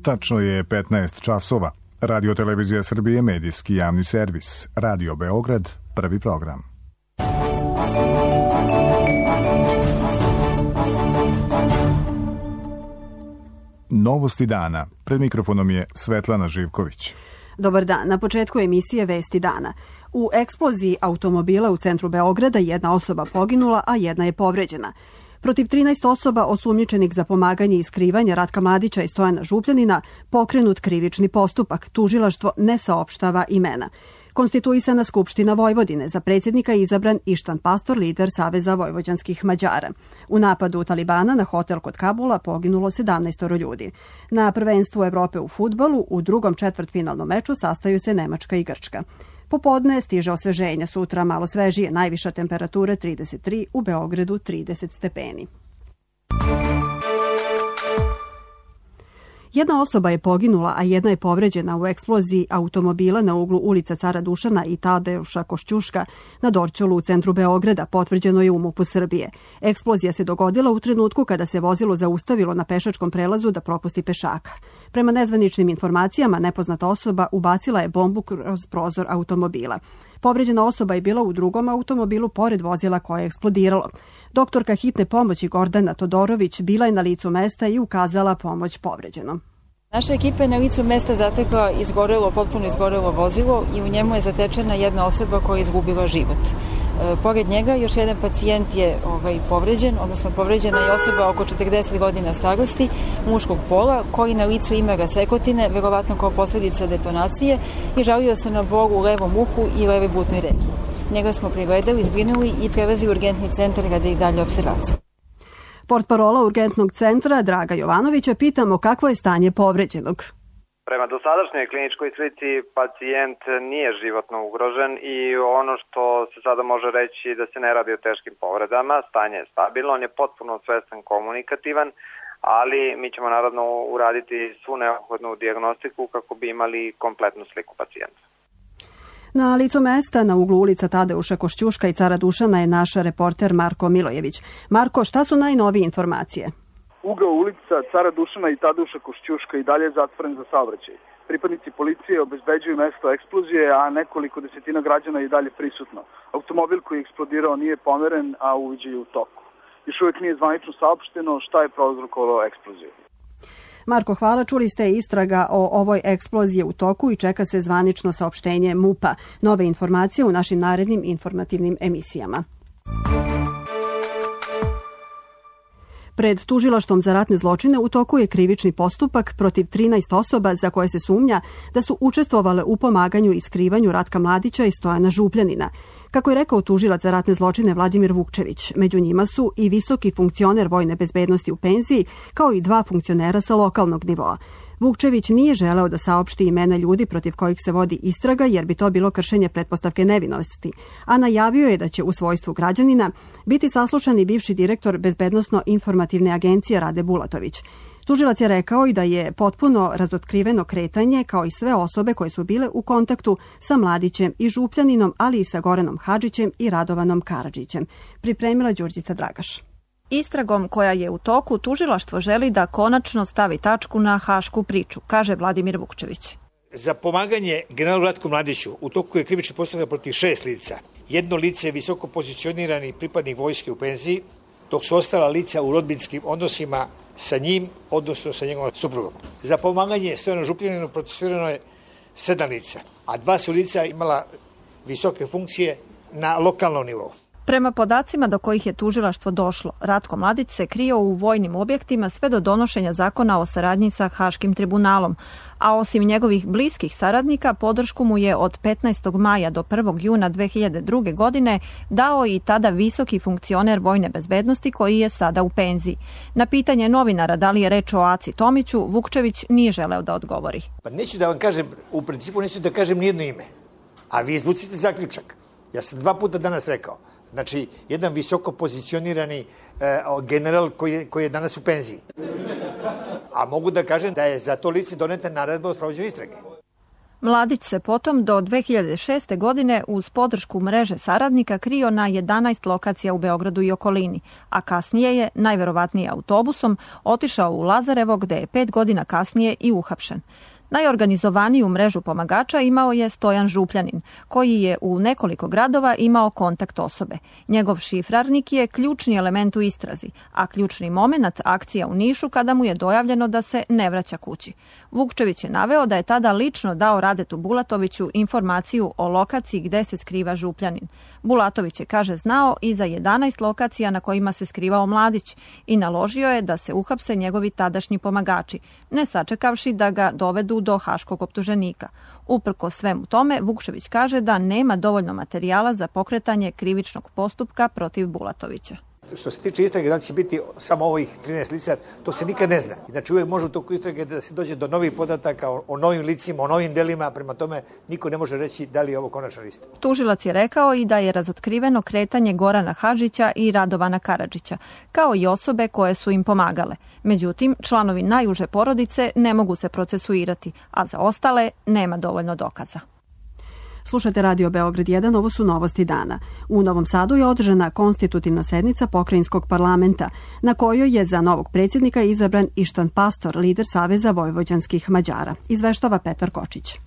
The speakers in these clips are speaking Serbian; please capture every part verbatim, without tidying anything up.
Tačno je petnaest časova. Radio Televizija Srbije, medijski javni servis. Radio Beograd, prvi program. Novosti dana. Pred mikrofonom je Svetlana Živković. Dobar dan. Na početku emisije Vesti dana. U eksploziji automobila u centru Beograda jedna osoba poginula, a jedna je povređena. Protiv trinaest osoba osumnjičenih za pomaganje i skrivanje Ratka Mladića i Stojana Župljanina pokrenut krivični postupak. Tužilaštvo ne saopštava imena. Konstituisana Skupština Vojvodine, za predsjednika izabran Ištan Pastor, lider Saveza vojvođanskih Mađara. U napadu Talibana na hotel kod Kabula poginulo sedamnaest ljudi. Na prvenstvu Evrope u fudbalu u drugom četvrtfinalnom meču sastaju se Nemačka i Grčka. Popodne stiže osveženje, sutra malo svežije, najviša temperatura trideset tri, u Beogradu trideset stepeni. Jedna osoba je poginula, a jedna je povređena u eksploziji automobila na uglu ulica Cara Dušana i Tadeuša Košćuška na Dorćolu u centru Beograda, potvrđeno je u MUP-u Srbije. Eksplozija se dogodila u trenutku kada se vozilo zaustavilo na pešačkom prelazu da propusti pešaka. Prema nezvaničnim informacijama, nepoznata osoba ubacila je bombu kroz prozor automobila. Povređena osoba je bila u drugom automobilu pored vozila koje je eksplodiralo. Doktorka hitne pomoći Gordana Todorović bila je na licu mesta i ukazala pomoć povređenom. Naša ekipa je na licu mesta zatekla izgorelo, potpuno izgorelo vozilo i u njemu je zatečena jedna osoba koja je izgubila život. E, pored njega još jedan pacijent je ovaj, povređen, odnosno povređena je osoba oko četrdeset godina starosti, muškog pola, koji na licu ima rasekotine, verovatno kao posljedica detonacije, i žalio se na bol u levom uhu i leve butnoj reki. Njega smo pregledali, zbrinuli i prevezli u urgentni centar radi dalje observacije. Portparola urgentnog centra Draga Jovanovića pitamo kakvo je stanje povređenog. Prema dosadašnjoj kliničkoj slici pacijent nije životno ugrožen i ono što se sada može reći da se ne radi o teškim povredama, stanje je stabilno, on je potpuno svestan, komunikativan, ali mi ćemo naravno uraditi svu neophodnu dijagnostiku kako bi imali kompletnu sliku pacijenta. Na licu mesta na uglu ulica Tadeuša Košćuška i Cara Dušana je naš reporter Marko Milojević. Marko, šta su najnovije informacije? Ugao ulica Cara Dušana i Tadeuša Košćuška i dalje je zatvoren za saobraćaj. Pripadnici policije obezbeđuju mesto eksplozije, a nekoliko desetina građana je i dalje prisutno. Automobil koji je eksplodirao nije pomeren, a uviđaj je u toku. Još uvijek nije zvanično saopšteno šta je prouzrokovalo eksploziju. Marko, hvala. Čuli ste istraga o ovoj eksploziji u toku i čeka se zvanično saopštenje MUP-a. Nove informacije u našim narednim informativnim emisijama. Pred tužilaštvom za ratne zločine u toku je krivični postupak protiv trinaest osoba za koje se sumnja da su učestvovale u pomaganju i skrivanju Ratka Mladića i Stojana Župljanina. Kako je rekao tužilac za ratne zločine Vladimir Vukčević, među njima su i visoki funkcioner vojne bezbednosti u penziji, kao i dva funkcionera sa lokalnog nivoa. Vukčević nije želeo da saopšti imena ljudi protiv kojih se vodi istraga, jer bi to bilo kršenje pretpostavke nevinosti, a najavio je da će u svojstvu građanina biti saslušan i bivši direktor Bezbednosno-informativne agencije Rade Bulatović. Tužilac je rekao i da je potpuno razotkriveno kretanje, kao i sve osobe koje su bile u kontaktu sa Mladićem i Župljaninom, ali i sa Goranom Hadžićem i Radovanom Karadžićem. Pripremila Đurđica Dragaš. Istragom koja je u toku, tužilaštvo želi da konačno stavi tačku na hašku priču, kaže Vladimir Vukčević. Za pomaganje generalu Ratku Mladiću u toku je krivični postupak protiv šest lica. Jedno lice je visoko pozicionirani pripadnik vojske u penziji, dok su ostala lica u rodbinskim odnosima sa njim, odnosno sa njegovom suprugom. Za pomaganje Stojanu Župljaninu procesuirano je sedam lica, a dva su lica imala visoke funkcije na lokalnom nivou. Prema podacima do kojih je tužilaštvo došlo, Ratko Mladić se krio u vojnim objektima sve do donošenja zakona o saradnji sa Haškim tribunalom, a osim njegovih bliskih saradnika, podršku mu je od petnaestog maja do prvog juna dve hiljade druge. godine dao i tada visoki funkcioner vojne bezbednosti koji je sada u penziji. Na pitanje novinara da li je reč o Aci Tomiću, Vukčević nije želeo da odgovori. Pa neću da vam kažem, u principu neću da kažem nijedno ime, a vi izvucite zaključak. Ja sam dva puta danas rekao. Znači, jedan visoko pozicionirani e, general koji je, koji je danas u penziji. A mogu da kažem da je za to lice doneta naredba o sprovođenju istrage. Mladić se potom do dve hiljade šeste. godine uz podršku mreže saradnika krio na jedanaest lokacija u Beogradu i okolini, a kasnije je, najverovatnije autobusom, otišao u Lazarevo gde je pet godina kasnije i uhapšen. Najorganizovaniju mrežu pomagača imao je Stojan Župljanin, koji je u nekoliko gradova imao kontakt osobe. Njegov šifrarnik je ključni element u istrazi, a ključni moment akcija u Nišu kada mu je dojavljeno da se ne vraća kući. Vukčević je naveo da je tada lično dao Radetu Bulatoviću informaciju o lokaciji gde se skriva Župljanin. Bulatović je, kaže, znao i za jedanaest lokacija na kojima se skrivao Mladić i naložio je da se uhapse njegovi tadašnji pomagači, ne sačekavši da ga dovedu do haškog optuženika. Uprko svemu tome, Vukčević kaže da nema dovoljno materijala za pokretanje krivičnog postupka protiv Bulatovića. Što se tiče istrage, da će biti samo ovih trinaest lica, to se nikad ne zna. Znači uvijek može u toku istrage da se dođe do novih podataka o, o novim licima, o novim delima, prema tome niko ne može reći da li je ovo konačna lista. Tužilac je rekao i da je razotkriveno kretanje Gorana Hadžića i Radovana Karadžića, kao i osobe koje su im pomagale. Međutim, članovi najuže porodice ne mogu se procesuirati, a za ostale nema dovoljno dokaza. Slušate Radio Beograd jedan, ovo su novosti dana. U Novom Sadu je održana konstitutivna sednica pokrajinskog parlamenta, na kojoj je za novog predsjednika izabran Ištan Pastor, lider Saveza vojvođanskih Mađara. Izveštava Petar Kočić.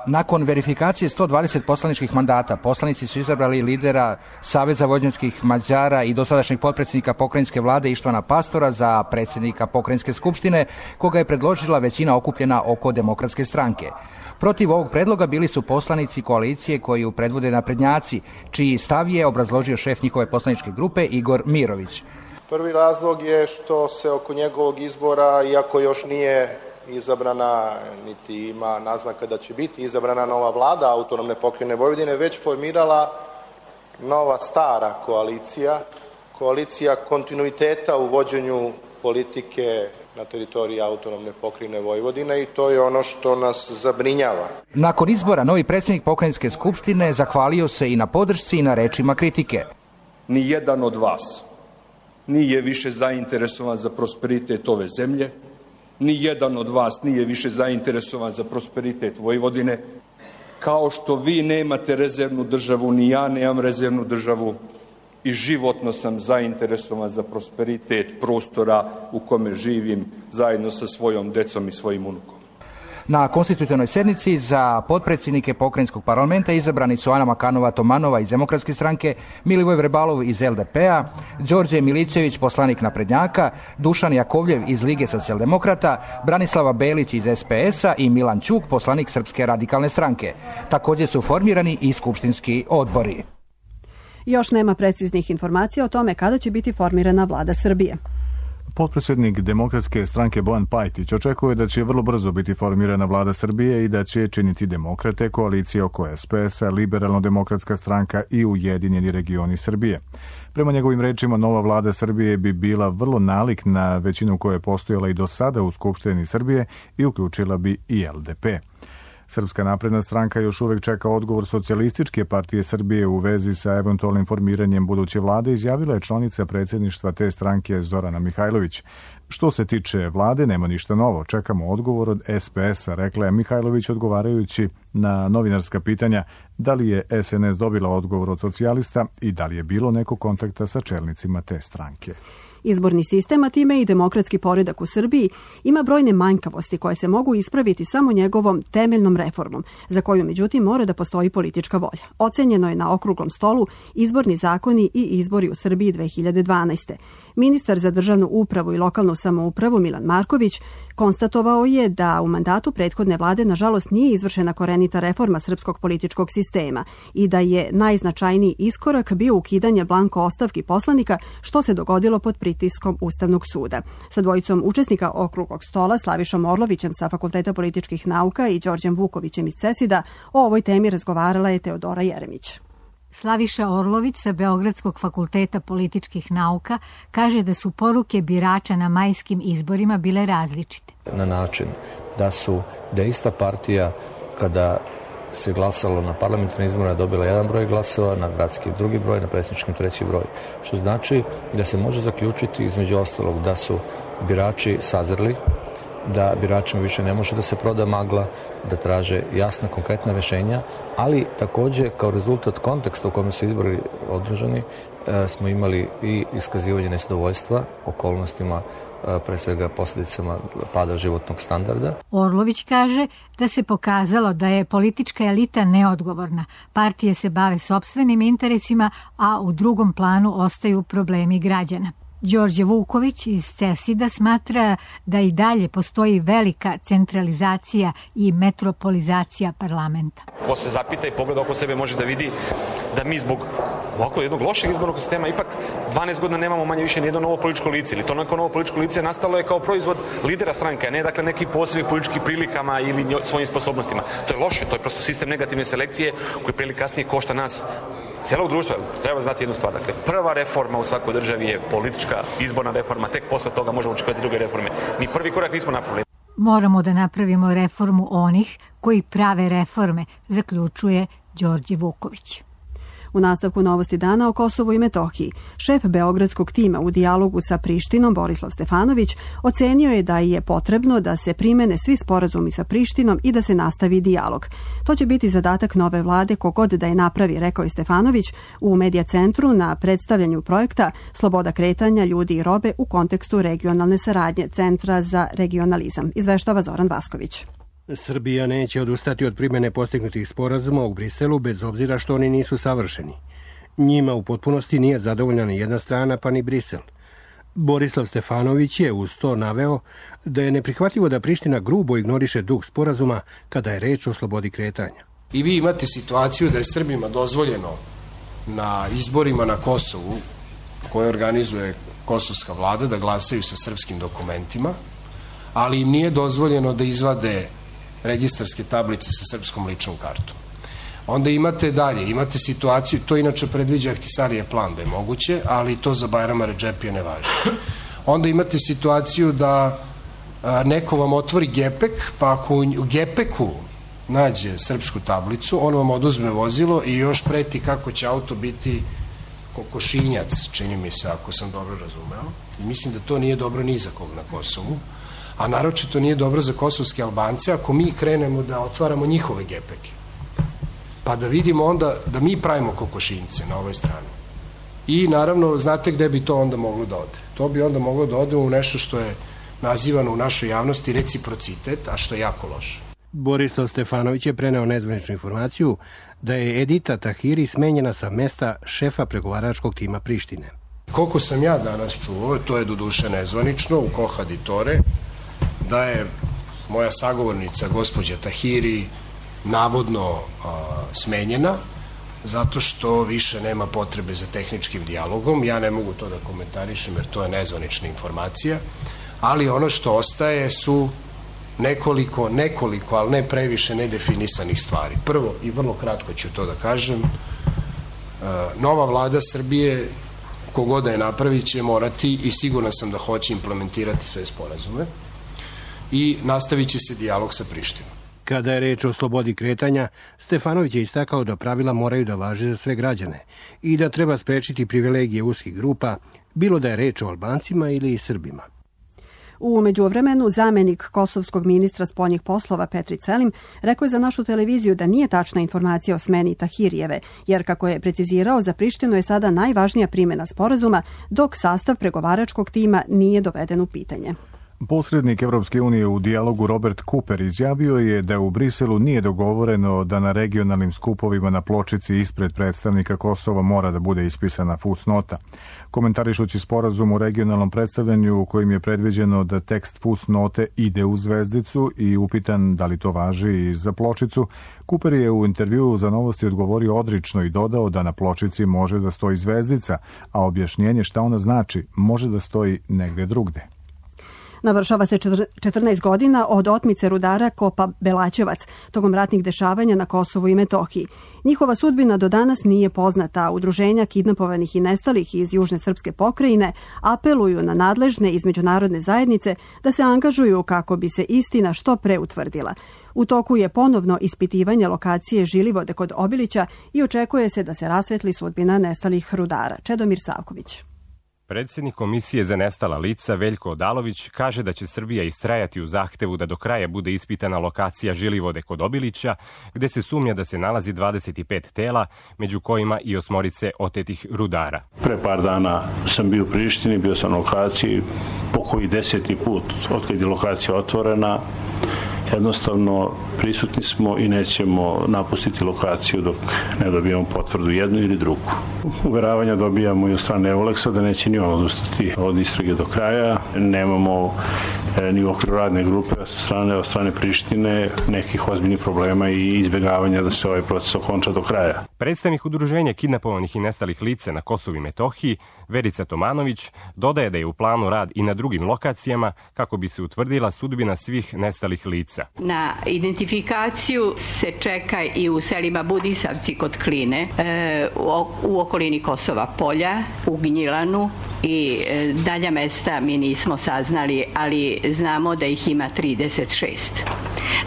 Nakon verifikacije sto dvadeset poslaničkih mandata, poslanici su izabrali lidera Saveza vojvođanskih Mađara i dosadašnjeg potpredsjednika pokrajinske vlade Ištvana Pastora za predsjednika pokrajinske skupštine, koga je predložila većina okupljena oko Demokratske stranke. Protiv ovog predloga bili su poslanici koalicije koju predvode naprednjaci, čiji stav je obrazložio šef njihove poslaničke grupe Igor Mirović. Prvi razlog je što se oko njegovog izbora, iako još nije izabrana, niti ima naznaka da će biti izabrana nova vlada autonomne pokrajine Vojvodine, već formirala nova stara koalicija, koalicija kontinuiteta u vođenju politike na teritoriji autonomne pokrajine Vojvodine i to je ono što nas zabrinjava. Nakon izbora novi predsjednik pokrajinske skupštine zahvalio se i na podršci i na rečima kritike. Ni jedan od vas nije više zainteresovan za prosperitet ove zemlje, ni jedan od vas nije više zainteresovan za prosperitet Vojvodine. Kao što vi nemate rezervnu državu, ni ja nemam rezervnu državu i životno sam zainteresovan za prosperitet prostora u kome živim zajedno sa svojom decom i svojim unukom. Na konstitutivnoj sednici za potpredsjednike pokrajinskog parlamenta izabrani su Ana Makanova-Tomanova iz Demokratske stranke, Milivoj Vrebalov iz el de pe-a, Đorđe Milićević, poslanik naprednjaka, Dušan Jakovljev iz Lige socijaldemokrata, Branislava Belić iz es pe es-a i Milan Ćuk, poslanik Srpske radikalne stranke. Također su formirani i skupštinski odbori. Još nema preciznih informacija o tome kada će biti formirana vlada Srbije. Potpredsjednik Demokratske stranke Bojan Pajtić očekuje da će vrlo brzo biti formirana vlada Srbije i da će činiti demokrate, koalicije oko es pe es-a, Liberalno-demokratska stranka i Ujedinjeni regioni Srbije. Prema njegovim rečima, nova vlada Srbije bi bila vrlo nalik na većinu koja je postojala i do sada u Skupštini Srbije i uključila bi i el de pe. Srpska napredna stranka još uvek čeka odgovor Socijalističke partije Srbije u vezi sa eventualnim formiranjem buduće vlade, izjavila je članica predsjedništva te stranke Zorana Mihajlović. Što se tiče vlade, nema ništa novo, čekamo odgovor od es pe es-a, rekla je Mihajlović odgovarajući na novinarska pitanja da li je es en es dobila odgovor od socijalista i da li je bilo neko kontakta sa čelnicima te stranke. Izborni sistem, a time i demokratski poredak u Srbiji, ima brojne manjkavosti koje se mogu ispraviti samo njegovom temeljnom reformom, za koju međutim mora da postoji politička volja. Ocenjeno je na okruglom stolu izborni zakoni i izbori u Srbiji dve hiljade dvanaeste. Ministar za državnu upravu i lokalnu samoupravu Milan Marković konstatovao je da u mandatu prethodne vlade nažalost nije izvršena korenita reforma srpskog političkog sistema i da je najznačajniji iskorak bio ukidanje blanko ostavki poslanika, što se dogodilo pod pritiskom Ustavnog suda. Sa dvojicom učesnika okruglog stola, Slavišom Orlovićem sa Fakulteta političkih nauka i Đorđem Vukovićem iz CESID-a, o ovoj temi razgovarala je Teodora Jeremić. Slaviša Orlović sa Beogradskog fakulteta političkih nauka kaže da su poruke birača na majskim izborima bile različite. Na način da su da ista partija kada se glasalo na parlamentarnim izborima dobila jedan broj glasova, na gradskim drugi broj, na predsjedničkim treći broj. Što znači da se može zaključiti između ostalog da su birači sazreli, da biračima više ne može da se proda magla, da traže jasna, konkretna rješenja, ali također kao rezultat konteksta u kome su izbori održani smo imali i iskazivanje nezadovoljstva okolnostima, pre svega posljedicama pada životnog standarda. Orlović kaže da se pokazalo da je politička elita neodgovorna. Partije se bave sopstvenim interesima, a u drugom planu ostaju problemi građana. Đorđe Vuković iz CESID-a smatra da i dalje postoji velika centralizacija i metropolizacija parlamenta. Ko se zapita i pogleda oko sebe može da vidi da mi zbog ovako jednog lošeg izbornog sistema ipak dvanaest godina nemamo manje više nijedno novo političko lice. Ili to neko novo političko lice nastalo je kao proizvod lidera stranke, a ne dakle neki posebnih političkih prilikama ili svojim sposobnostima. To je loše, to je prosto sistem negativne selekcije koji prije ili kasnije košta nas cijelog društva. Treba znati jednu stvar. Dakle, prva reforma u svakoj državi je politička izborna reforma, tek posle toga možemo očekivati druge reforme. Mi prvi korak nismo napravili. Moramo da napravimo reformu onih koji prave reforme, zaključuje Đorđe Vuković. U nastavku novosti dana o Kosovu i Metohiji, šef beogradskog tima u dijalogu sa Prištinom Borislav Stefanović ocenio je da je potrebno da se primene svi sporazumi sa Prištinom i da se nastavi dijalog. To će biti zadatak nove vlade kogod da je napravi, rekao je Stefanović u Medija centru na predstavljanju projekta Sloboda kretanja ljudi i robe u kontekstu regionalne saradnje Centra za regionalizam. Izveštava Zoran Vasković. Srbija neće odustati od primjene postignutih sporazuma u Briselu bez obzira što oni nisu savršeni. Njima u potpunosti nije zadovoljna ni jedna strana pa ni Brisel. Borislav Stefanović je uz to naveo da je neprihvatljivo da Priština grubo ignoriše duh sporazuma kada je reč o slobodi kretanja. I vi imate situaciju da je Srbima dozvoljeno na izborima na Kosovu koje organizuje kosovska vlada da glasaju sa srpskim dokumentima, ali im nije dozvoljeno da izvade registarske tablice sa srpskom ličnom kartom. Onda imate dalje, imate situaciju, to inače predviđa Ahtisarijev plan da je moguće, ali to za Bajrama Redžepija ne važi. Onda imate situaciju da a, neko vam otvori gepek, pa ako u gepeku nađe srpsku tablicu, on vam oduzme vozilo i još preti kako će auto biti kokošinjac, čini mi se, ako sam dobro razumeo. I mislim da to nije dobro ni za kog na Kosovu. A naročito nije dobro za kosovske Albance ako mi krenemo da otvaramo njihove gepeke. Pa da vidimo onda da mi pravimo kokošinjce na ovoj strani. I naravno, znate gde bi to onda moglo da ode? To bi onda moglo da ode u nešto što je nazivano u našoj javnosti reciprocitet, a što je jako loše. Borislav Stefanović je preneo nezvaničnu informaciju da je Edita Tahiri smenjena sa mesta šefa pregovaračkog tima Prištine. Koliko sam ja danas čuo, to je doduše nezvanično, u Kohaditore, da je moja sagovornica, gospođa Tahiri, navodno a, smenjena, zato što više nema potrebe za tehničkim dijalogom. Ja ne mogu to da komentarišem jer to je nezvanična informacija, ali ono što ostaje su nekoliko, nekoliko, ali ne previše nedefinisanih stvari. Prvo, i vrlo kratko ću to da kažem, a, nova vlada Srbije, kogoda je napravit, će morati i siguran sam da hoće implementirati sve sporazume i nastavit će se dijalog sa Prištinom. Kada je reč o slobodi kretanja, Stefanović je istakao da pravila moraju da važe za sve građane i da treba sprečiti privilegije uskih grupa, bilo da je reč o Albancima ili Srbima. U međuvremenu, zamenik kosovskog ministra spoljnih poslova Petri Celim rekao je za našu televiziju da nije tačna informacija o smeni Tahirijeve, jer kako je precizirao, za Prištinu je sada najvažnija primjena sporazuma, dok sastav pregovaračkog tima nije doveden u pitanje. Posrednik Evropske unije u dijalogu Robert Cooper izjavio je da u Briselu nije dogovoreno da na regionalnim skupovima na pločici ispred predstavnika Kosova mora da bude ispisana fusnota. Komentarišući sporazum u regionalnom predstavljanju u kojim je predviđeno da tekst fusnote ide u zvezdicu i upitan da li to važi i za pločicu, Cooper je u intervjuu za Novosti odgovorio odrično i dodao da na pločici može da stoji zvezdica, a objašnjenje šta ona znači može da stoji negde drugde. Navršava se četrnaest godina od otmice rudara Kopa Belačevac tokom ratnih dešavanja na Kosovu i Metohiji. Njihova sudbina do danas nije poznata, a udruženja kidnapovanih i nestalih iz Južne srpske pokrajine apeluju na nadležne iz međunarodne zajednice da se angažuju kako bi se istina što pre utvrdila. U toku je ponovno ispitivanje lokacije Žilivode kod Obilića i očekuje se da se rasvetli sudbina nestalih rudara. Čedomir Savković. Predsjednik Komisije za nestala lica Veljko Odalović kaže da će Srbija istrajati u zahtevu da do kraja bude ispitana lokacija Žilivode kod Obilića, gde se sumnja da se nalazi dvadeset pet tela, među kojima i osmorice otetih rudara. Pre par dana sam bio u Prištini, bio sam na lokaciji, po koji deseti put od kad je lokacija otvorena. Jednostavno prisutni smo i nećemo napustiti lokaciju dok ne dobijemo potvrdu jednu ili drugu. Uveravanja dobijamo i od strane Euleksa da neće ni on odustati od istrage do kraja. Nemamo ni u okviru radne grupe sa strane, od strane Prištine nekih ozbiljnih problema i izbjegavanja da se ovaj proces okonča do kraja. Predstavnik udruženja kidnapovanih i nestalih lica na Kosovu i Metohiji, Verica Tomanović, dodaje da je u planu rad i na drugim lokacijama kako bi se utvrdila sudbina svih nestalih lica. Na identifikaciju se čeka i u selima Budisavci kod Kline, u okolini Kosova Polja, u Gnjilanu i dalja mesta mi nismo saznali, ali znamo da ih ima trideset šest.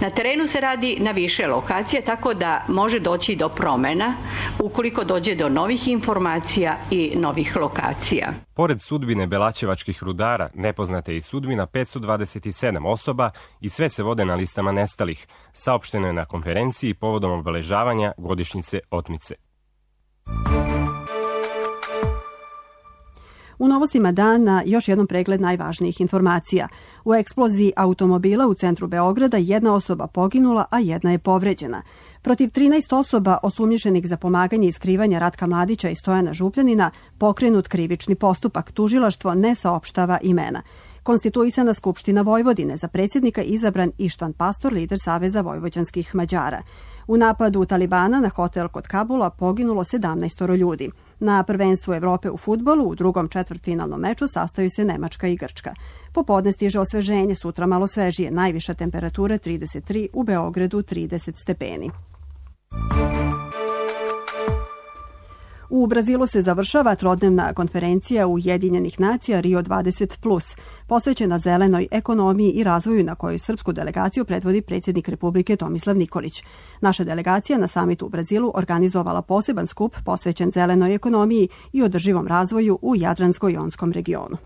Na terenu se radi na više lokacija, tako da može doći do promena ukoliko dođe do novih informacija i novih lokacija. Pored sudbine belaćevačkih rudara, nepoznata je i sudbina petsto dvadeset sedam osoba i sve se vode na listama nestalih, saopšteno je na konferenciji povodom obeležavanja godišnjice otmice. U novostima dana još jednom pregled najvažnijih informacija. U eksploziji automobila u centru Beograda jedna osoba poginula, a jedna je povređena. Protiv trinaest osoba osumnjičenih za pomaganje i skrivanje Ratka Mladića i Stojana Župljanina pokrenut krivični postupak. Tužilaštvo ne saopštava imena. Konstituisana Skupština Vojvodine, za predsjednika izabran Ištvan Pastor, lider Saveza vojvođanskih Mađara. U napadu Talibana na hotel kod Kabula poginulo sedamnaest ljudi. Na prvenstvu Evrope u fudbalu u drugom četvrtfinalnom meču sastaju se Nemačka i Grčka. Popodne stiže osveženje, sutra malo svežije, najviša temperatura trideset tri, u Beogradu trideset stepeni. U Brazilu se završava trodnevna konferencija Ujedinjenih nacija Rio dvadeset plus, posvećena zelenoj ekonomiji i razvoju, na kojoj srpsku delegaciju predvodi predsjednik Republike Tomislav Nikolić. Naša delegacija na samitu u Brazilu organizovala poseban skup posvećen zelenoj ekonomiji i održivom razvoju u Jadransko-jonskom regionu.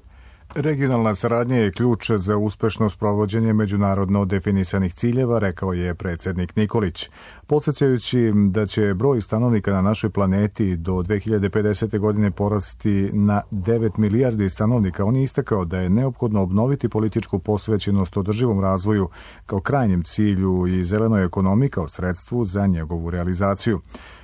Regionalna saradnja je ključ za uspešno sprovođenje međunarodno definisanih ciljeva, rekao je predsjednik Nikolić. Podsjećajući da će broj stanovnika na našoj planeti do dve hiljade pedesete. godine porasti na devet milijardi stanovnika, on je istakao da je neophodno obnoviti političku posvećenost održivom razvoju kao krajnjem cilju i zelenoj ekonomiji kao sredstvu za njegovu realizaciju.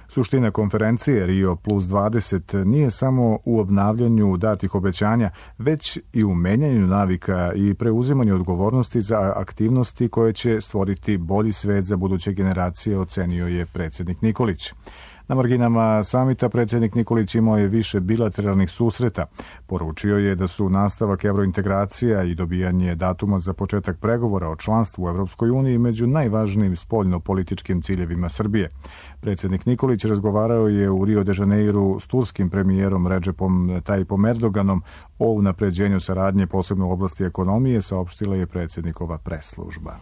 Suština konferencije Rio plus dvadeset nije samo u obnavljanju datih obećanja, već i u menjanju navika i preuzimanju odgovornosti za aktivnosti koje će stvoriti bolji svet za buduće generacije, ocenio je predsjednik Nikolić. Na marginama samita predsjednik Nikolić imao je više bilateralnih susreta. Poručio je da su nastavak evrointegracija i dobijanje datuma za početak pregovora o članstvu u Evropskoj uniji među najvažnijim spoljno-političkim ciljevima Srbije. Predsjednik Nikolić razgovarao je u Rio de Janeiru s turskim premijerom Recepom Tayyipom Erdoganom o unapređenju saradnje, posebno u oblasti ekonomije, saopštila je predsjednikova press-služba.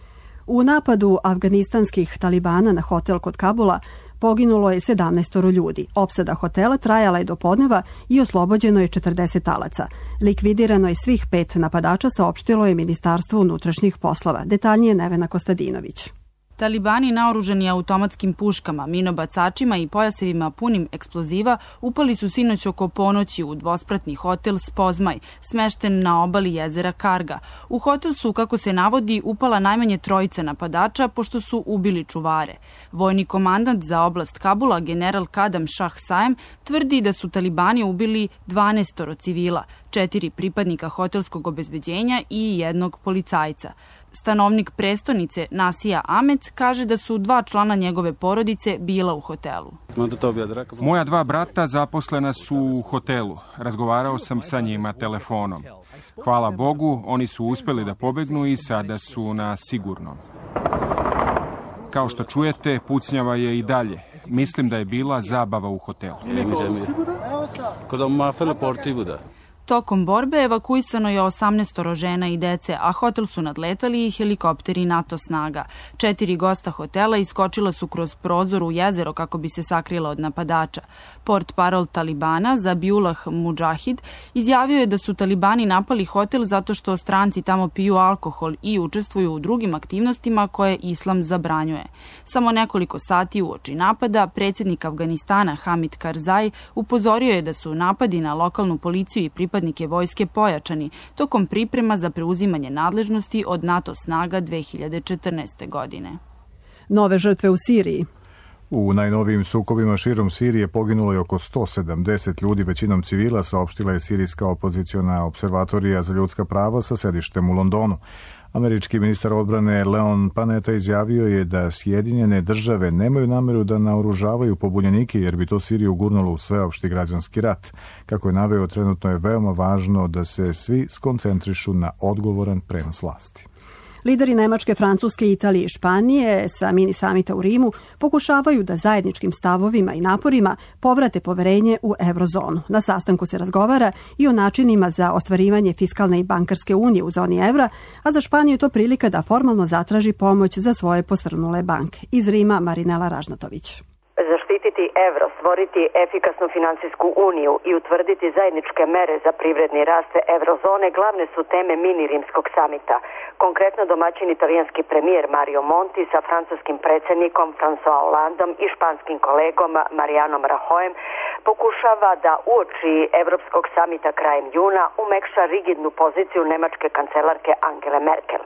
U napadu afganistanskih talibana na hotel kod Kabula poginulo je sedamnaest ljudi. Opsada hotela trajala je do podneva i oslobođeno je četrdeset talaca. Likvidirano je svih pet napadača, saopštilo je Ministarstvo unutrašnjih poslova. Detaljnije Nevena Kostadinović. Talibani naoružani automatskim puškama, minobacačima i pojasevima punim eksploziva upali su sinoć oko ponoći u dvospratni hotel Spozmaj, smešten na obali jezera Karga. U hotel su, kako se navodi, upala najmanje trojica napadača, pošto su ubili čuvare. Vojni komandant za oblast Kabula, general Kadam Shah Saem, tvrdi da su Talibani ubili dvanaest civila, četiri pripadnika hotelskog obezbeđenja i jednog policajca. Stanovnik prestonice Nasija Amec kaže da su dva člana njegove porodice bila u hotelu. Moja dva brata zaposlena su u hotelu. Razgovarao sam sa njima telefonom. Hvala Bogu, oni su uspjeli da pobegnu i sada su na sigurnom. Kao što čujete, pucnjava je i dalje. Mislim da je bila zabava u hotelu. Tokom borbe evakuisano je osamnaest žena i dece, a hotel su nadletali i helikopteri NATO snaga. Četiri gosta hotela iskočila su kroz prozor u jezero kako bi se sakrila od napadača. Port parol Talibana Zabiullah Mudžahid izjavio je da su Talibani napali hotel zato što stranci tamo piju alkohol i učestvuju u drugim aktivnostima koje islam zabranjuje. Samo nekoliko sati uoči napada predsjednik Afganistana Hamid Karzai upozorio je da su napadi na lokalnu policiju i pripadnike vojske pojačani tokom priprema za preuzimanje nadležnosti od NATO snaga dve hiljade četrnaeste. godine. Nove žrtve u Siriji. U najnovijim sukobima širom Sirije poginulo je oko sto sedamdeset ljudi, većinom civila, saopštila je sirijska opoziciona observatorija za ljudska prava sa sedištem u Londonu. Američki ministar odbrane Leon Panetta izjavio je da Sjedinjene države nemaju nameru da naoružavaju pobunjenike jer bi to Siriju gurnulo u sveopšti građanski rat. Kako je naveo, trenutno je veoma važno da se svi skoncentrišu na odgovoran prenos vlasti. Lideri Nemačke, Francuske, Italije i Španije sa mini samita u Rimu pokušavaju da zajedničkim stavovima i naporima povrate poverenje u eurozonu. Na sastanku se razgovara i o načinima za ostvarivanje fiskalne i bankarske unije u zoni evra, a za Španiju je to prilika da formalno zatraži pomoć za svoje posrnule banke. Iz Rima Marinela Ražnatović. Zaštititi evro, stvoriti efikasnu finansijsku uniju i utvrditi zajedničke mere za privredni rast eurozone glavne su teme mini rimskog samita. Konkretno domaćin italijanski premijer Mario Monti sa francuskim predsjednikom François Hollandom i španskim kolegom Marianom Rajoyem pokušava da uoči Evropskog samita krajem juna umekša rigidnu poziciju nemačke kancelarke Angele Merkel.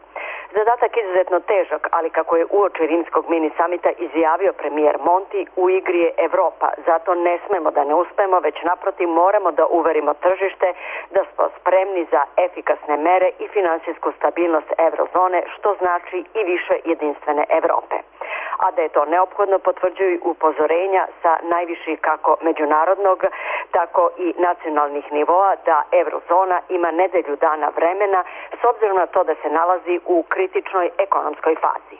Zadatak izuzetno težak, ali kako je uoči rimskog mini samita izjavio premijer Monti, u igri je Evropa, zato ne smemo da ne uspemo, već naprotiv moramo da uverimo tržište da smo spremni za efikasne mere i finansijsku stabilnost eurozone, što znači i više jedinstvene Evrope. A da je to neophodno potvrđuju upozorenja sa najviših kako međunarodnog, tako i nacionalnih nivoa da eurozona ima nedelju dana vremena s obzirom na to da se nalazi u kritičnoj ekonomskoj fazi.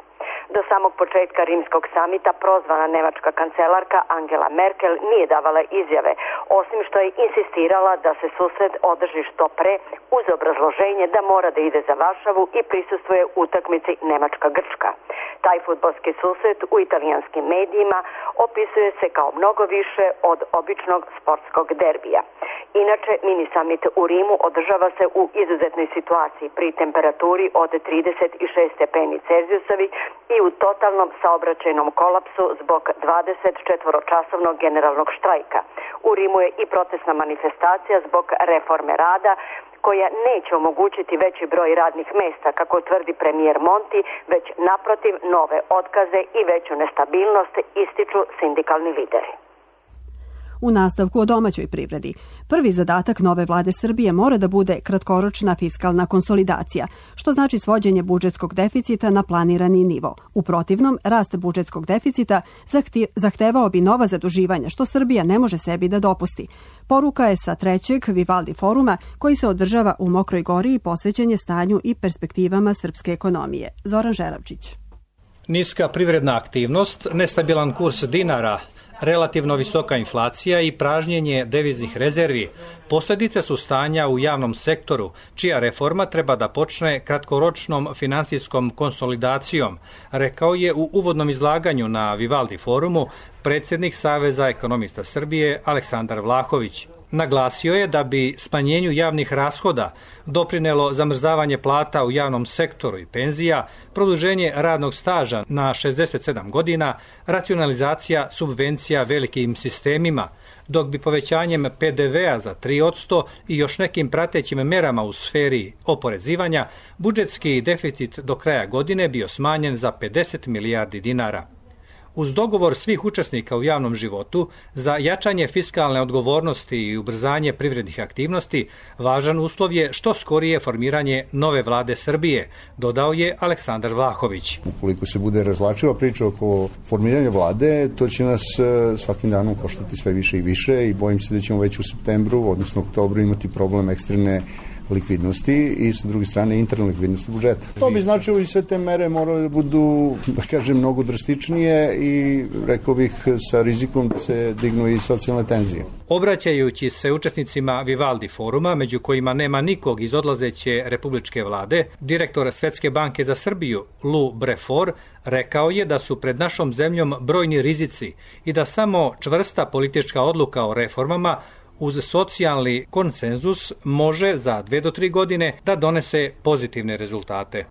Do samog početka rimskog samita prozvana nemačka kancelarka Angela Merkel nije davala izjave, osim što je insistirala da se susret održi što pre uz obrazloženje da mora da ide za Varšavu i prisustvuje utakmici Nemačka-Grčka. Taj fudbalski susret u italijanskim medijima opisuje se kao mnogo više od običnog sportskog derbija. Inače, mini samit u Rimu održava se u izuzetnoj situaciji pri temperaturi od trideset šest stepeni Celzijusovi i u totalnom saobraćajnom kolapsu zbog dvadesetčetvoročasovnog generalnog štrajka. U Rimu je i protestna manifestacija zbog reforme rada koja neće omogućiti veći broj radnih mesta, kako tvrdi premijer Monti, već naprotiv nove otkaze i veću nestabilnost, ističu sindikalni lideri. U nastavku o domaćoj privredi. Prvi zadatak nove vlade Srbije mora da bude kratkoročna fiskalna konsolidacija, što znači svođenje budžetskog deficita na planirani nivo. U protivnom, rast budžetskog deficita zahtevao bi nova zaduživanja, što Srbija ne može sebi da dopusti. Poruka je sa trećeg Vivaldi foruma koji se održava u Mokroj Gori i posvećen je stanju i perspektivama srpske ekonomije. Zoran Žeravčić. Niska privredna aktivnost, nestabilan kurs dinara, relativno visoka inflacija i pražnjenje deviznih rezervi posljedice su stanja u javnom sektoru, čija reforma treba da počne kratkoročnom finansijskom konsolidacijom, rekao je u uvodnom izlaganju na Vivaldi forumu predsjednik Saveza ekonomista Srbije Aleksandar Vlahović. Naglasio je da bi smanjenju javnih rashoda doprinelo zamrzavanje plata u javnom sektoru i penzija, produženje radnog staža na šezdeset sedam godina, racionalizacija subvencija velikim sistemima, dok bi povećanjem pe de vea za tri posto i još nekim pratećim merama u sferi oporezivanja budžetski deficit do kraja godine bio smanjen za pedeset milijardi dinara. Uz dogovor svih učesnika u javnom životu za jačanje fiskalne odgovornosti i ubrzanje privrednih aktivnosti, važan uslov je što skorije formiranje nove vlade Srbije, dodao je Aleksandar Vlahović. Ukoliko se bude razvlačila priča oko formiranja vlade, to će nas svakim danom koštati sve više i više i bojim se da ćemo već u septembru, odnosno oktobru, imati problem ekstremne likvidnosti i sa druge strane interne likvidnosti budžeta. To bi značilo i sve te mere moraju da budu, da kažem, mnogo drastičnije i rekao bih sa rizikom da se dignu i socijalne tenzije. Obraćajući se učesnicima Vivaldi foruma, među kojima nema nikog iz odlazeće republičke vlade, direktor Svetske banke za Srbiju Lou Brefort rekao je da su pred našom zemljom brojni rizici i da samo čvrsta politička odluka o reformama uz socijalni konsenzus može za dve do tri godine da donese pozitivne rezultate.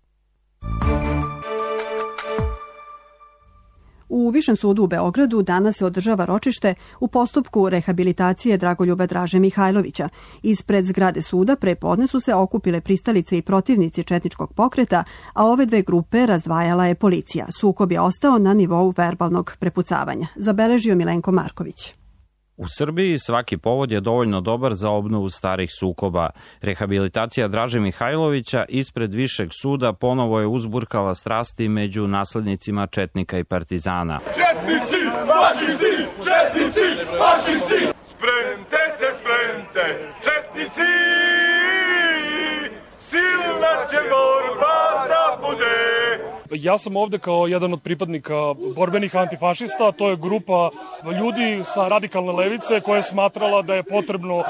U Višem sudu u Beogradu danas se održava ročište u postupku rehabilitacije Dragoljuba Draže Mihajlovića. Ispred zgrade suda pre podne su se okupile pristalice i protivnici četničkog pokreta, a ove dve grupe razdvajala je policija. Sukob je ostao na nivou verbalnog prepucavanja. Zabeležio Milenko Marković. U Srbiji svaki povod je dovoljno dobar za obnovu starih sukoba. Rehabilitacija Draže Mihajlovića ispred Višeg suda ponovo je uzburkala strasti među naslednicima četnika i partizana. Četnici, fašisti, četnici, fašisti, spremte se, spremte, četnici, silna će borba da bude. Ja sam ovde kao jedan od pripadnika borbenih antifašista, to je grupa ljudi sa radikalne levice koja je smatrala da je potrebno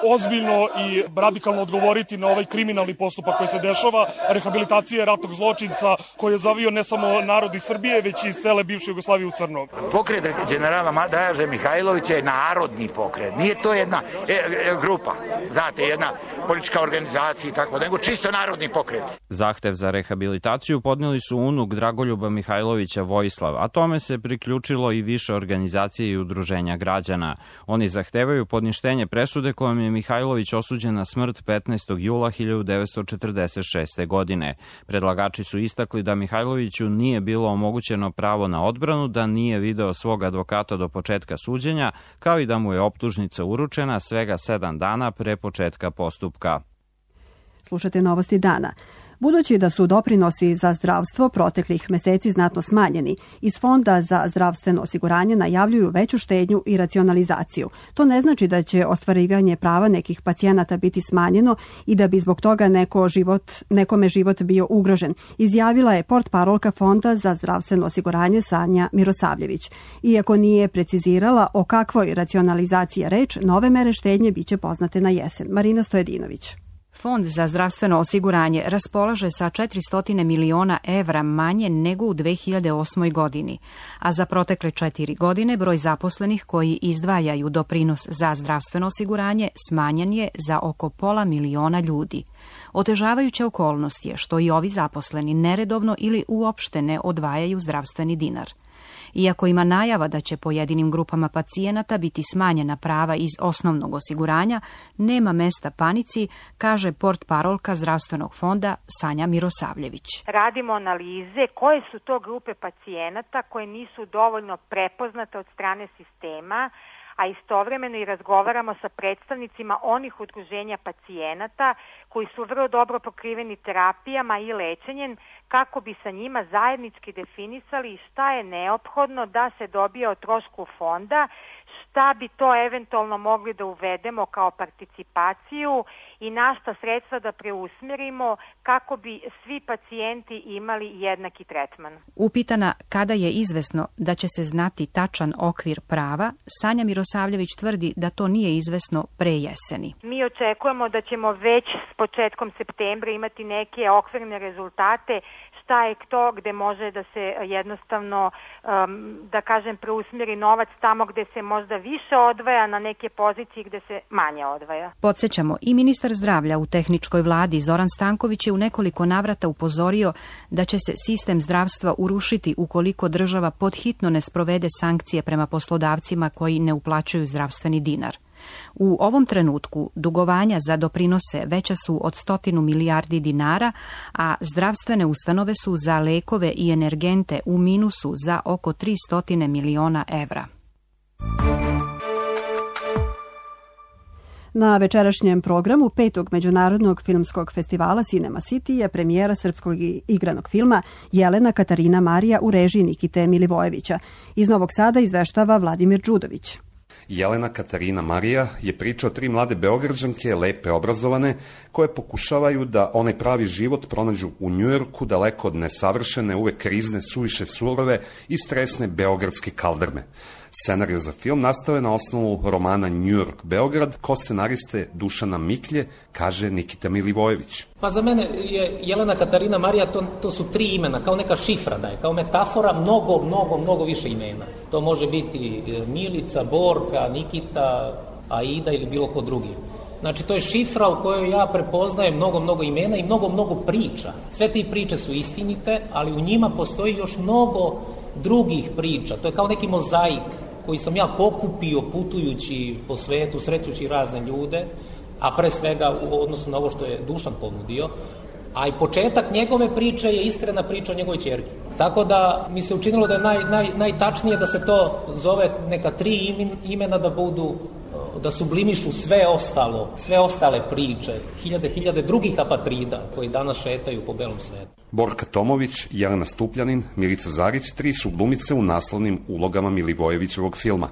ozbiljno i radikalno odgovoriti na ovaj kriminalni postupak koji se dešava, rehabilitacije ratnog zločinca koji je zavio ne samo narod iz Srbije, već i iz cele bivše Jugoslavije u crno. Pokret generala Draže Mihajlovića je narodni pokret, nije to jedna e, e, grupa, znate, jedna politička organizacija i tako, nego čisto narodni pokret. Zahtev za rehabilitaciju podnijeli su unuk Dragoljuba Mihajlovića Vojislav, a tome se priključilo i više organizacije i udruženja građana. Oni zahtevaju podništenje presude kojom je Mihajlović osuđen na smrt petnaestog jula hiljadu devetsto četrdeset šeste. godine. Predlagači su istakli da Mihajloviću nije bilo omogućeno pravo na odbranu, da nije video svog advokata do početka suđenja, kao i da mu je optužnica uručena svega sedam dana pre početka postupka. Slušate novosti dana. Budući da su doprinosi za zdravstvo proteklih meseci znatno smanjeni, iz Fonda za zdravstveno osiguranje najavljuju veću štednju i racionalizaciju. To ne znači da će ostvarivanje prava nekih pacijenata biti smanjeno i da bi zbog toga neko život, nekome život bio ugrožen, izjavila je portparolka Fonda za zdravstveno osiguranje Sanja Mirosavljević. Iako nije precizirala o kakvoj racionalizaciji je reč, nove mere štednje biće poznate na jesen. Marina Stojedinović. Fond za zdravstveno osiguranje raspolaže sa četiristo miliona evra manje nego u dve hiljade osmoj. godini, a za protekle četiri godine broj zaposlenih koji izdvajaju doprinos za zdravstveno osiguranje smanjen je za oko pola miliona ljudi. Otežavajuća okolnost je što i ovi zaposleni neredovno ili uopšte ne odvajaju zdravstveni dinar. Iako ima najava da će pojedinim grupama pacijenata biti smanjena prava iz osnovnog osiguranja, nema mesta panici, kaže portparolka zdravstvenog fonda Sanja Mirosavljević. Radimo analize koje su to grupe pacijenata koje nisu dovoljno prepoznate od strane sistema, a istovremeno i razgovaramo sa predstavnicima onih udruženja pacijenata koji su vrlo dobro pokriveni terapijama i lečenjem, kako bi sa njima zajednički definisali šta je neophodno da se dobije o trošku fonda, šta bi to eventualno mogli da uvedemo kao participaciju i na šta sredstva da preusmerimo kako bi svi pacijenti imali jednaki tretman. Upitana kada je izvesno da će se znati tačan okvir prava, Sanja Mirosavljević tvrdi da to nije izvesno pre jeseni. Mi očekujemo da ćemo već s početkom septembra imati neke okvirne rezultate šta je to gde može da se jednostavno, um, da kažem, preusmeri novac tamo gde se možda više odvaja na neke pozicije gde se manje odvaja. Podsjećamo, i ministar zdravlja u tehničkoj vladi Zoran Stanković je u nekoliko navrata upozorio da će se sistem zdravstva urušiti ukoliko država podhitno ne sprovede sankcije prema poslodavcima koji ne uplaćuju zdravstveni dinar. U ovom trenutku dugovanja za doprinose veća su od stotinu milijardi dinara, a zdravstvene ustanove su za lekove i energente u minusu za oko tristo miliona evra. Na večerašnjem programu petog Međunarodnog filmskog festivala Cinema City je premijera srpskog igranog filma Jelena Katarina Marija u režiji Nikite Milivojevića. Iz Novog Sada izveštava Vladimir Đudović. Jelena Katarina Marija je priča o tri mlade Beograđanke, lepe, obrazovane, koje pokušavaju da onaj pravi život pronađu u Njujorku, daleko od nesavršene, uvek krizne, suviše surove i stresne beogradske kaldrme. Scenario za film nastao je na osnovu romana New York Beograd, ko scenariste Dušana Miklje, kaže Nikita Milivojević. Pa za mene je Jelena Katarina Marija, to, to su tri imena, kao neka šifra da je, kao metafora mnogo, mnogo, mnogo više imena. To može biti Milica, Borka, Nikita, Aida ili bilo ko drugi. Znači, to je šifra u kojoj ja prepoznajem mnogo, mnogo imena i mnogo, mnogo priča. Sve te priče su istinite, ali u njima postoji još mnogo drugih priča. To je kao neki mozaik koji sam ja pokupio putujući po svetu, srećući razne ljude, a pre svega u odnosu na ovo što je Dušan ponudio, a i početak njegove priče je iskrena priča o njegovoj ćerki. Tako da mi se učinilo da je naj, naj, najtačnije da se to zove neka tri imena da budu, da sublimišu sve ostalo, sve ostale priče, hiljade, hiljade drugih apatrida koji danas šetaju po belom svetu. Borka Tomović, Jelena Stupljanin, Milica Zarić, tri su glumice u naslovnim ulogama Milivojevićevog filma.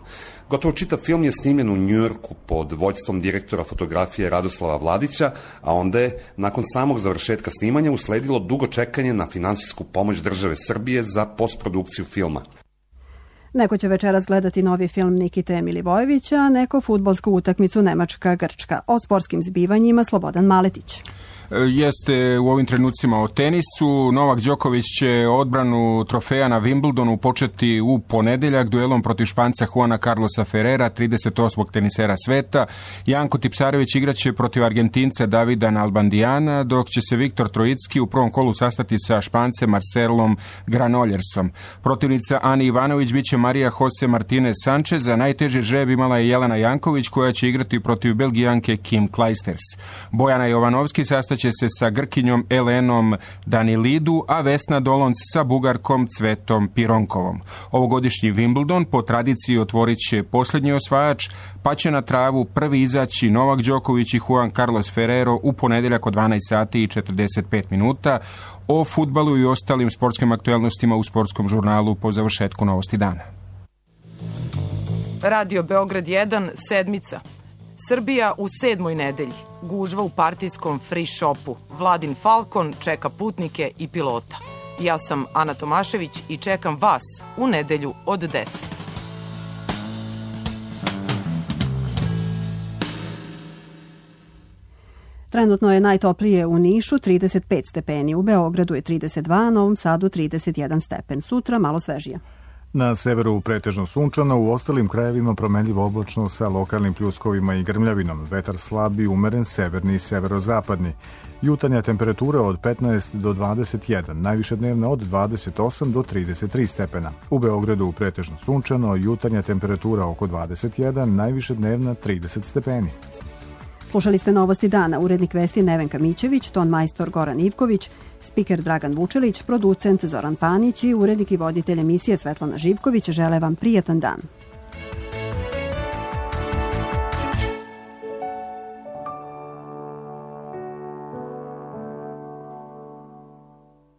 Gotovo čitav film je snimljen u Njujorku pod vođstvom direktora fotografije Radoslava Vladića, a onda je, nakon samog završetka snimanja, usledilo dugo čekanje na finansijsku pomoć države Srbije za postprodukciju filma. Neko će večeras gledati novi film Nikite Milivojevića, a neko fudbalsku utakmicu Nemačka-Grčka. O sportskim zbivanjima Slobodan Maletić. Jeste u ovim trenucima o tenisu. Novak Đoković će odbranu trofeja na Wimbledonu početi u ponedeljak duelom protiv Španca Juana Carlosa Ferrera, trideset osmog tenisera sveta. Janko Tipsarević igraće protiv Argentinca Davida Nalbandijana, dok će se Viktor Trojicki u prvom kolu sastati sa Špancem Marcelom Granoljersom. Protivnica Ani Ivanović biće Marija Jose Martinez Sanchez, a najteži žreb imala je Jelena Janković, koja će igrati protiv Belgijanke Kim Clijsters. Bojana Jovanovski sastaće će se sa Grkinjom Elenom Danilidu, a Vesna Dolonc sa Bugarkom Cvetom Pironkovom. Ovogodišnji Wimbledon po tradiciji otvorit će posljednji osvajač, pa će na travu prvi izaći Novak Đoković i Juan Carlos Ferrero u ponedeljak od dvanaest sati i četrdeset pet minuta. O fudbalu i ostalim sportskim aktuelnostima u sportskom žurnalu po završetku Novosti dana. Radio Beograd jedan, sedmica. Srbija u sedmoj nedelji. Gužva u partijskom free shopu. Vladin Falcon čeka putnike i pilota. Ja sam Ana Tomašević i čekam vas u nedelju od deset. Trenutno je najtoplije u Nišu, trideset pet stepeni, u Beogradu je trideset dva, Novom Sadu trideset jedan stepen. Sutra malo svežije. Na severu pretežno sunčano, u ostalim krajevima promenljivo oblačno sa lokalnim pljuskovima i grmljavinom. Vetar slab i umeren severni i severozapadni. Jutarnja temperatura od petnaest do dvadeset jedan, najviše dnevna od dvadeset osam do trideset tri stepena. U Beogradu pretežno sunčano, jutarnja temperatura oko dvadeset jedan, najviše dnevna trideset stepeni. Slušali ste Novosti dana, urednik vesti Nevenka Mićević, ton majstor Goran Ivković, spiker Dragan Vučelić, producent Zoran Panić i urednik i voditelj emisije Svetlana Živković žele vam prijatan dan.